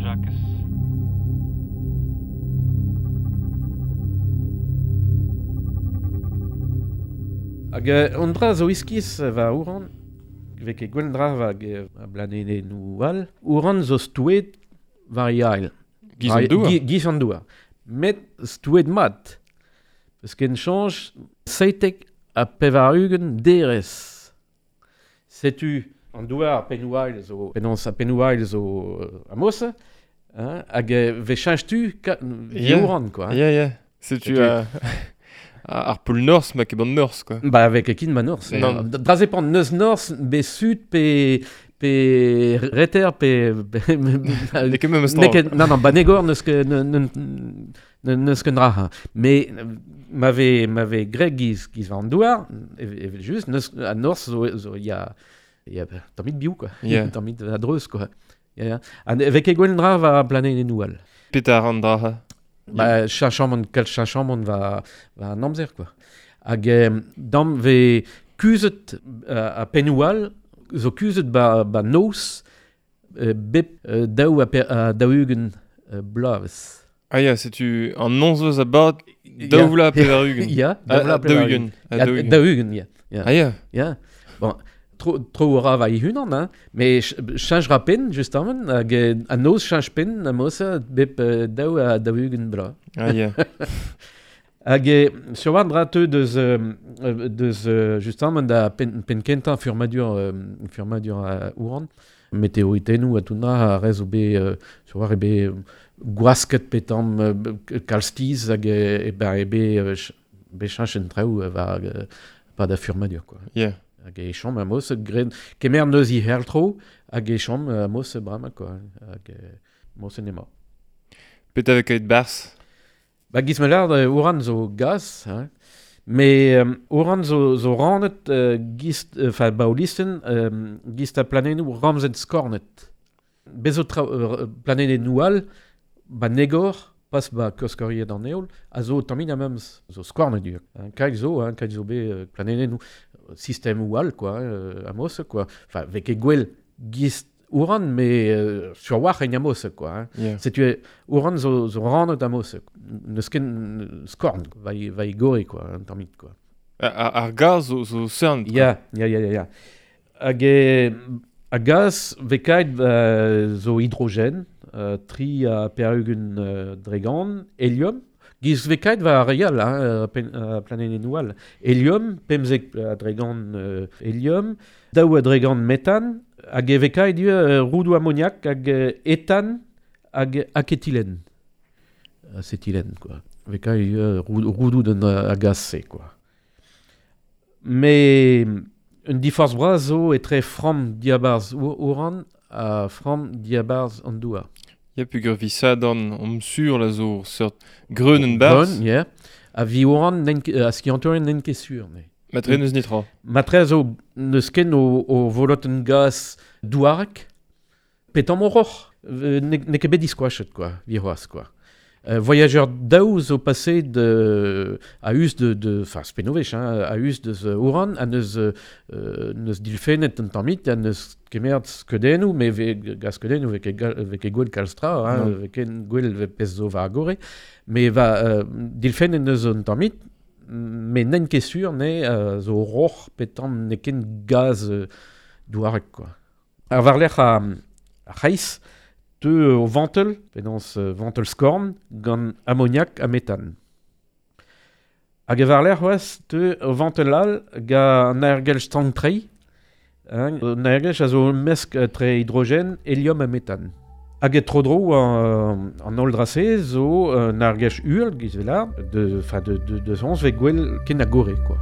Jakez. Hag an dra zo iskis va ouran, vez ket gwell dra va a blanenennoù all, ouran zo stouet war yael. Giz an douar. Giz an douar. Met stouet mat. Eus ken chanj 97 derez. Setu an douar pennoù ail zo, penaos a pennoù ail zo amos, hein, hag ve chanj tu Yeah. ouran, quoi. Ya, ya. Setu ar pôle Nord, ma ket ban Nord, quoi. Ba avec ekin ba Nord. Non. Draze pan neus Nord, be sud, pe reter, pe... N'eo ket memes N'eo tra. ket, non, non, ba negor neus ket, neus ket dra. Hein. Mais m'ave greg giz war an douar, evel just, neus, a Nord zo ya, ya, tammit biou, quoi. Yeah. Tammit a-dreuz, quoi. Ya, ya. Ha vez ket gwell dra war planenennoù all. Petar an dra. Ba, chachamant, kal chachamant va an amzer, quoi. Hag dam ve kuzet a pennoù all, zo kuzet ba noz, bep daou a daou-ugent bloavezh. Ah ya, setu an nonzeus a bad daou vloaz pevar-ugent. Ya, daou vloaz pevar-ugent. A daou-ugent. Daou-ugent, ya. Ya. Ah ya. Ya. Bon, tro ra va ihunan, hein, mais change ra pen, justement, hag an noz change pen, amos, bep daou a daou-ugent bloaz. Ah ya. Hag sur war dra teu deus, justement, da pen kentañ furmadur ouran, meteoritennoù a tout dra a rez o be, sur war e be gwasket petam kalstiz hag e ba e be, be chanch en traoù war pa da furmadur, quoi. Yeah. Hag e chom amos gren kemer neus i herltro hag e chom amos brama, quoi. Hag mos en ema. Pet avec ket bars? Ba giz me lard, ouran zo gaz, hein. Mais ouran zo rannet giz, enfin baolisten, giz ta planennoù ramzet skornet. Bezo planennoù all, ba negor, pas ba koskoriet an eol, a zo tamin a memes, zo skornet ur. Hein, kaik zo, hein, kaik zo be planennoù sistem ou all, quoi, amos, quoi. Enfin, vek e gwell giz ouran, mais sur war en amos, quoi. Hein. Yeah. Setu ouran zo rannet amos. Neus ken skorn, va i gore, quoi, un tammit, quoi. Ar gaz zo cern. Ya, ya, ya, ya. Hag a gaz vekaet zo hidrogen, tri a perugun dregan, helium, giz vekaet va ar real, hein, planenennoù all. Helium, pemzek a dregan helium, daou a dregan metan, hag e vekaet roudoù ammoniak hag etan hag aketilen. Acétylène, quoi. Vekaet roudoù d'un a gaz-se, quoi. Mais un diforz bras zo etre framm diabarz ouran ha framm diabarz an douar. Ya pugur vi sadan om sur la zo seurt greunen barz. Greun, yeah. A vi ouran a skiantourien n'en ket sur, ne. Matre neus nitra. Matre zo neus ken o voloten gaz douarek, petam oroc'h. Ne ket bet diskoachet, quoi, vi c'hoazh, quoi. Voyageur daou zo passé de a us de enfin spenovech, hein, a us deus ouran, a neus dilfennet un tammit, a neus kemert skeudennoù, mais ve gaz skeudennoù ve ket gwell kalstra, hein, ve ket gwell ve pezh zo war gore, mais va dilfennet neus un tammit, mais n'en ket sur ne zo roc'h petam ne ken gaz douarek, quoi. Ar war-lerc'h a c'hreiz, teu o ventel, penaos ventel skorn, gant ammoniak ha metan. Hag e war-lerc'h c'hoazh, teu o ventel all gant an aergelc'h stank-treiñ, hein, an aergelc'h a zo mesk tre hidrogen, helium ha metan. Hag e tro-dro an holl dra-se zo un aergelc'h uhel, giz vel ar, de, enfin de sons ve gwell ken a gore, quoi.